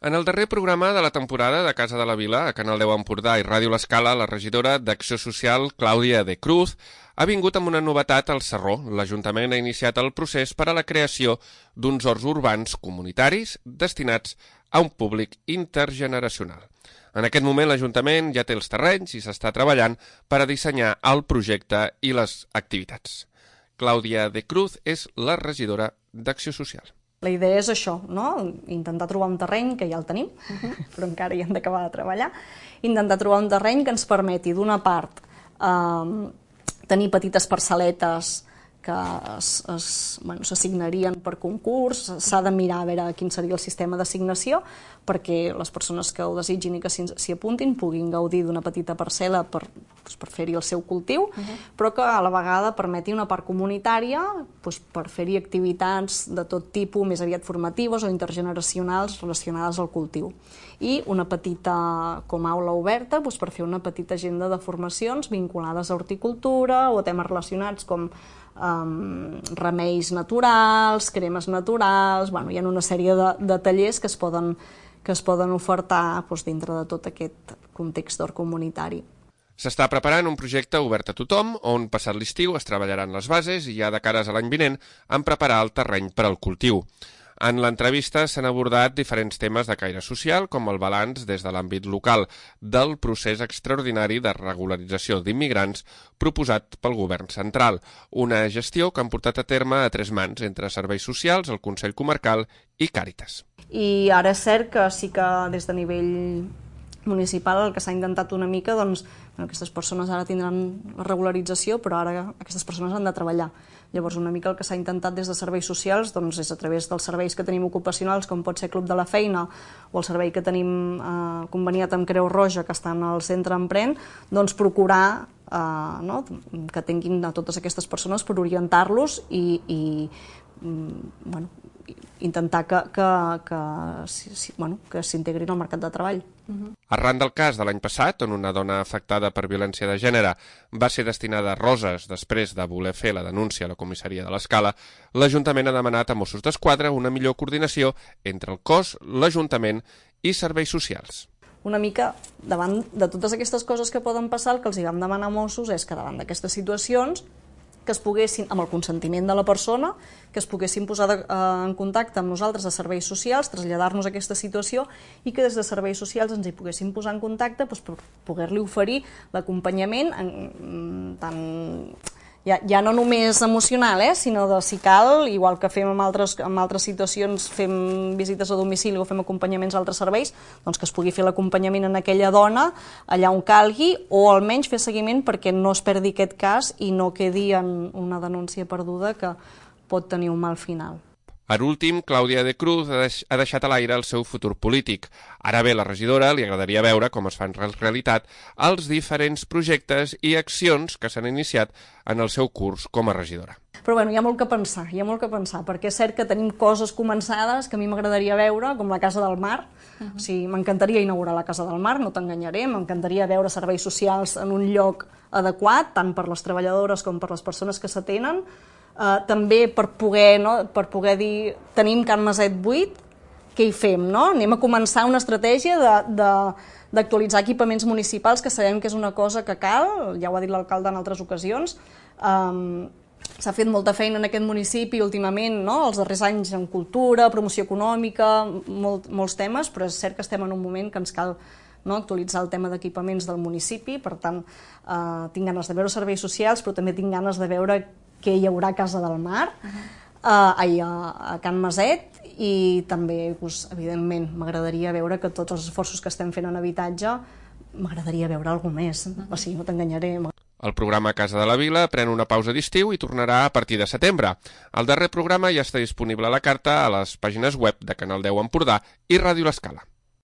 En el darrer programa de la temporada de Casa de la Vila, a Canal 10 Empordà i Ràdio L'Escala, la regidora d'Acció Social, Clàudia de Cruz, ha vingut amb una novetat al Sarró. L'Ajuntament ha iniciat el procés per a la creació d'uns horts urbans comunitaris destinats a un públic intergeneracional. En aquest moment l'Ajuntament ja té els terrenys i s'està treballant per a dissenyar el projecte i les activitats. Clàudia de Cruz és la regidora d'Acció Social. La idea és això, no? Intentar trobar un terreny, que ja el tenim, però encara hi hem d'acabar de treballar, intentar trobar un terreny que ens permeti, d'una part, tenir petites parcel·letes que s'assignarien per concurs. S'ha de mirar a veure quin seria el sistema d'assignació perquè les persones que ho desitgin i que s'hi apuntin puguin gaudir d'una petita parcel·la per fer-hi el seu cultiu, però que a la vegada permeti una part comunitària per fer-hi activitats de tot tipus, més aviat formatives o intergeneracionals relacionades al cultiu. I una petita, com a aula oberta, per fer una petita agenda de formacions vinculades a horticultura o a temes relacionats com remeis naturals, cremes naturals. Hi ha una sèrie de tallers que es poden ofertar dintre de tot aquest context d'hort comunitari. S'està preparant un projecte obert a tothom, on passat l'estiu es treballaran les bases i ja de cares a l'any vinent en preparar el terreny per al cultiu. En l'entrevista s'han abordat diferents temes de caire social, com el balanç des de l'àmbit local del procés extraordinari de regularització d'immigrants proposat pel govern central, una gestió que han portat a terme a 3 mans entre serveis socials, el Consell Comarcal i Càritas. I ara és cert que sí que des de nivell municipal el que s'ha intentat una mica, aquestes persones ara tindran la regularització, però ara aquestes persones han de treballar. Llavors, una mica el que s'ha intentat des de serveis socials és a través dels serveis que tenim ocupacionals, com pot ser Club de la Feina, o el servei que tenim conveniat amb Creu Roja, que està al centre Emprèn, procurar que tinguin a totes aquestes persones per orientar-los i intentar que s'integrin al mercat de treball. Arran del cas de l'any passat, on una dona afectada per violència de gènere va ser destinada a Roses després de voler fer la denúncia a la comissaria de l'Escala, l'Ajuntament ha demanat a Mossos d'Esquadra una millor coordinació entre el cos, l'Ajuntament i serveis socials. Una mica, davant de totes aquestes coses que poden passar, el que els vam demanar a Mossos és que davant d'aquestes situacions que es poguessin, amb el consentiment de la persona, que es poguessin posar en contacte amb nosaltres a serveis socials, traslladar-nos aquesta situació i que des de serveis socials ens hi poguessin posar en contacte per poder-li oferir l'acompanyament tant ja no només emocional, sinó de, si cal, igual que fem en altres situacions, fem visites a domicili o fem acompanyaments a altres serveis, que es pugui fer l'acompanyament en aquella dona allà on calgui, o almenys fer seguiment perquè no es perdi aquest cas i no quedi en una denúncia perduda que pot tenir un mal final. Per últim, Clàudia de Cruz ha deixat a l'aire el seu futur polític. Ara bé, la regidora li agradaria veure com es fan realitat els diferents projectes i accions que s'han iniciat en el seu curs com a regidora. Però hi ha molt que pensar, perquè és cert que tenim coses començades que a mi m'agradaria veure, com la Casa del Mar. O sigui, m'encantaria inaugurar la Casa del Mar, no t'enganyaré, m'encantaria veure serveis socials en un lloc adequat, tant per les treballadores com per les persones que s'atenen. També per poder dir tenim Can Maset buit, què hi fem? Anem a començar una estratègia d'actualitzar equipaments municipals, que sabem que és una cosa que cal, ja ho ha dit l'alcalde en altres ocasions. S'ha fet molta feina en aquest municipi últimament, els darrers anys en cultura, promoció econòmica, molts temes, però és cert que estem en un moment que ens cal actualitzar el tema d'equipaments del municipi. Per tant, tinc ganes de veure serveis socials, però també tinc ganes de veure que hi haurà Casa del Mar, a Can Maset, i també, evidentment, m'agradaria veure que tots els esforços que estem fent en habitatge, m'agradaria veure alguna més, no t'enganyaré. El programa Casa de la Vila pren una pausa d'estiu i tornarà a partir de setembre. El darrer programa ja està disponible a la carta a les pàgines web de Canal 10 Empordà i Ràdio L'Escala.